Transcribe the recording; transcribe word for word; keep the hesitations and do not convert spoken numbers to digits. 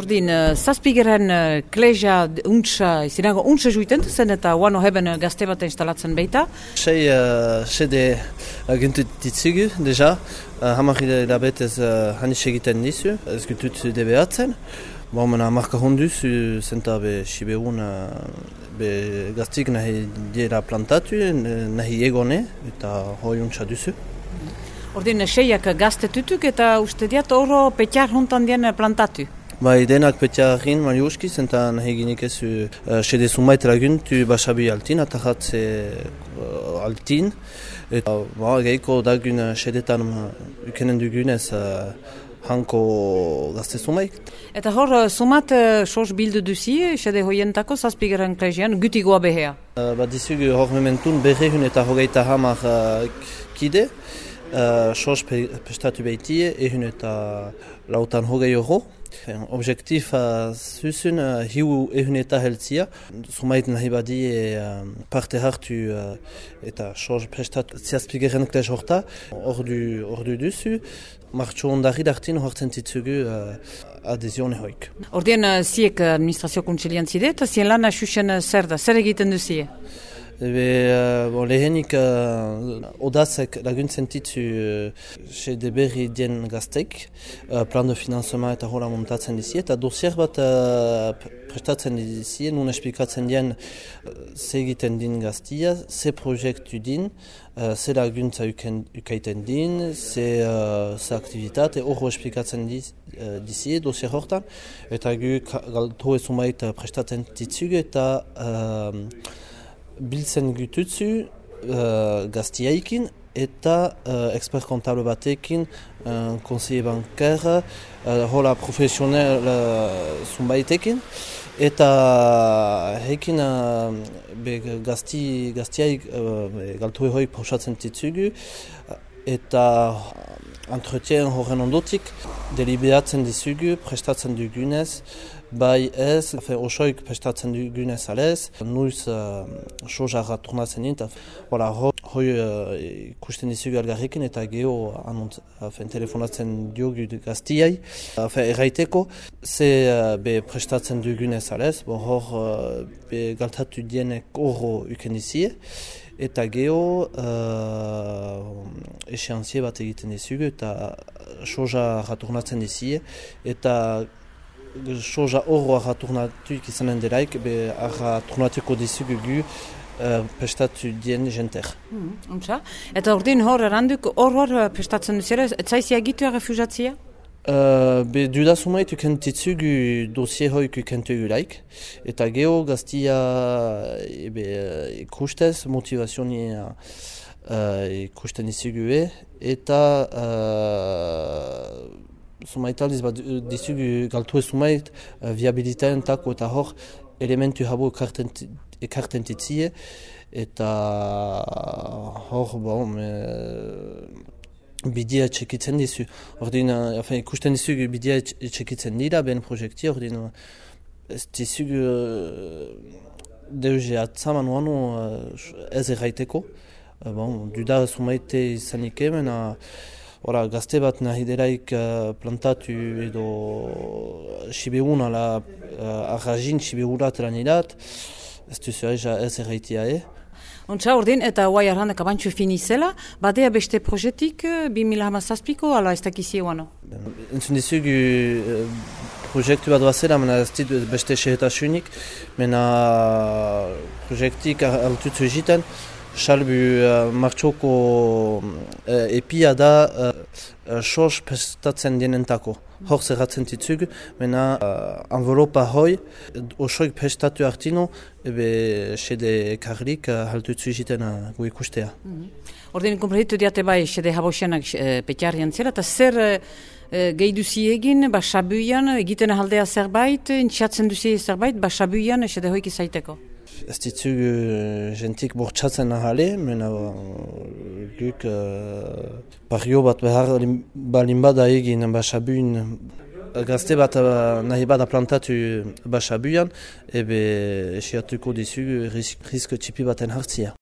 Ordin, zazpigeren kleja untsa, izinago untsa juiten zen eta uano heben gazte bat instalatzen beita. Sei sede gintu ditzugu, deja. Hamar hilabetez hanis egiten dizu, ez gutut debeatzen. Bon, mena marka honduz, zenta be sibeun be gaztik nahi diela plantatu, nahi egone eta hoi untsa duzu. Ordin, seiak gazte tutuk eta uste diat oro petiar hontan dien plantatu. Bai, denak petiarin mariuski, zenta nahi ginik ezu uh, sede sumait laguntu basabi altin, atahatze uh, altin. Eta ba, geiko dagun sedetan ukenen dugunez uh, hanko gazte sumait. Eta hor, sumat uh, sos bildu duzi, sede hoientako zazpigeren klejian, gutigoa behea? Uh, ba, dizugu hor mementun berrehun eta hogeita hamar uh, kide. Uh, sos pe, pestatu behitie, ehun eta lautan hogei euro. Objektif uh, zuzun uh, hiu ehun eta heltzia. Sumait nahi badie uh, parte hartu uh, eta sos prestatu ziazpigeren klej horta. Ordu, ordu duzu, martxo ondari dartin hortzen titzugu uh, adezione hoik. Ordien uh, ziek administrazio kontsilian zide eta zien lan asusen zer da, zer egiten duzie? Ebe, uh, bon, lehenik uh, odazek laguntzen titzu uh, sede berri dien gaztek, uh, plan de financement eta hola montatzen dizie, eta dosier bat uh, prestatzen dizie, nun esplikatzen dien uh, ze egiten din gaztia, ze proiektu din, uh, ze laguntza ukaiten din, ze, uh, ze aktivitate, horro esplikatzen diz, uh, dizie dosier hortan, eta gu galto ezumait prestatzen titzugu eta uh, biltzen gututzu uh, gaztiaikin eta uh, expert kontable batekin, uh, conseiller bancaire, uh, hola profesional uh, zunbaitekin. Eta hekin uh, be gazti, gaztiaik uh, galtue hoik pausatzen titzugu eta entretien horren ondotik deliberatzen dizugu, prestatzen dugunez, bai ez, osoik prestatzen dugunez alez, nuiz uh, sojara turnatzen dint, voilà, hoi uh, ikusten dizugu algarrekin eta geho anont, afen, telefonatzen diogu gaztiai. Afen, erraiteko, ze uh, be prestatzen dugunez alez, bon, hor uh, be galtatu dienek horro uken dizie, eta geho uh, eseantzie bat egiten dizugu eta soja raturnatzen dizie eta soja horro arraturnatuik izanen delaik be arraturnatuko dizugu gu uh, prestatu dien jenter. Mm, eta ordin hor eranduk hor hor prestatzen duzera, ez zaizia gitu refusatzia? Uh, be duda sumait ukentitzugu dosie hoik ukentugu laik eta geho gaztia ebe ikustez motivazionia uh, ikusten izugu eta uh, sumait aldiz bat dizugu galtu ez sumait uh, viabilitaten tako eta hor elementu habo ekarten titzie eta hor bon uh, bidia txekitzen dizu. Ordin, enfin, ikusten dizugu bidia txekitzen dira, ben projekti, ordin, ez dizugu uh, deuze atzaman uanu uh, ez erraiteko. Uh, bon, duda sumaite izanik hemen, uh, gazte bat nahi delaik uh, plantatu edo sibeun ala uh, arrajin sibeunat lanidat, ez duzu ez erraitia, eh? Ontsa ordin, eta guai arrandak abantxu finizela, badea beste projetik bi mila hamazazpiko, ala ez dakizie guano? Entzun dizugu uh, proiektu bat bazela, mena ez dit beste sehetasunik, mena proiektik altutzu egiten, salbu uh, martxoko uh, epia da uh, uh, sos prestatzen dienentako. Hor zerratzen titzugu, mena uh, envelopa hoi, osoik prestatu hartino, ebe sede karlik uh, haltutzu egiten uh, gu ikustea. Mm-hmm. Ordin, kompreditu diate bai, sede habosianak uh, petiarian zera, eta zer uh, gehi duzi egin, ba sabuian, egiten ahaldea zerbait, intxatzen duzi zerbait, ba sabuian, sede hoik izaiteko? Ez ditzugu jentik bortxatzen ahale, mena guk uh, pario bat behar balin bada egin basabuin, gazte bat uh, nahi bada plantatu basabuian, ebe esiatuko dizugu risk, risk txipi baten hartzia.